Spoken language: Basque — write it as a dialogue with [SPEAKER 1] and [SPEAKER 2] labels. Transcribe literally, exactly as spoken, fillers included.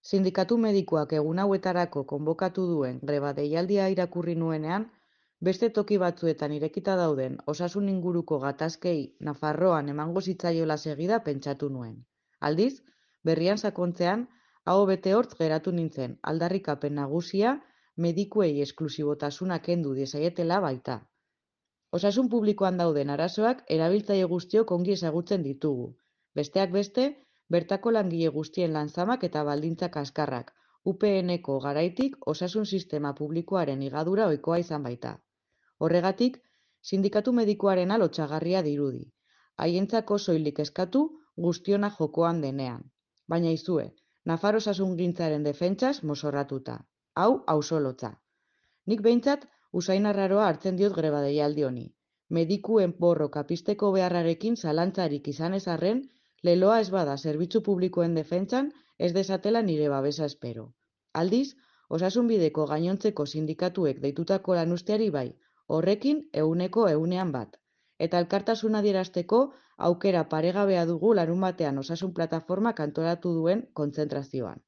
[SPEAKER 1] Sindikatu medikuak egun hauetarako konbokatu duen greba deialdia irakurri nuenean, beste toki batzuetan irekita dauden osasun inguruko gatazkei Nafarroan emango zitzaiola segida pentsatu nuen. Aldiz, berrian sakontzean, aho bete hortz geratu nintzen, aldarrikapen nagusia medikuei esklusibotasuna kendu diezaietela baita. Osasun publikoan dauden arazoak erabiltzaile guztiok ongi ezagutzen ditugu. Besteak beste, bertako langile guztien lan-zamak eta baldintzak kaskarrak, U P N-ko garaitik osasun sistema publikoaren higadura ohikoa izan baita. Horregatik, sindikatu medikuarena lotsagarria dirudi. Haientzako soilik eskatu guztiona jokoan denean. Baina izue, Nafar osasungintzaren defentsaz mozorratuta. Hau ausolotza. Nik behintzat usain arraroa hartzen diot greba deialdi honi. Medikuen borroka pizteko beharrarekin zalantzarik izan ez arren, leloa ez bada zerbitzu publikoen defentsan ez desatela nire babesa espero. Aldiz, osasunbideko gainontzeko sindikatuek deitutako lanuzteari bai, horrekin ehuneko ehunean bat. Eta elkartasuna adierazteko aukera paregabea dugu larunbatean osasun plataformak antolatu duen kontzentrazioan.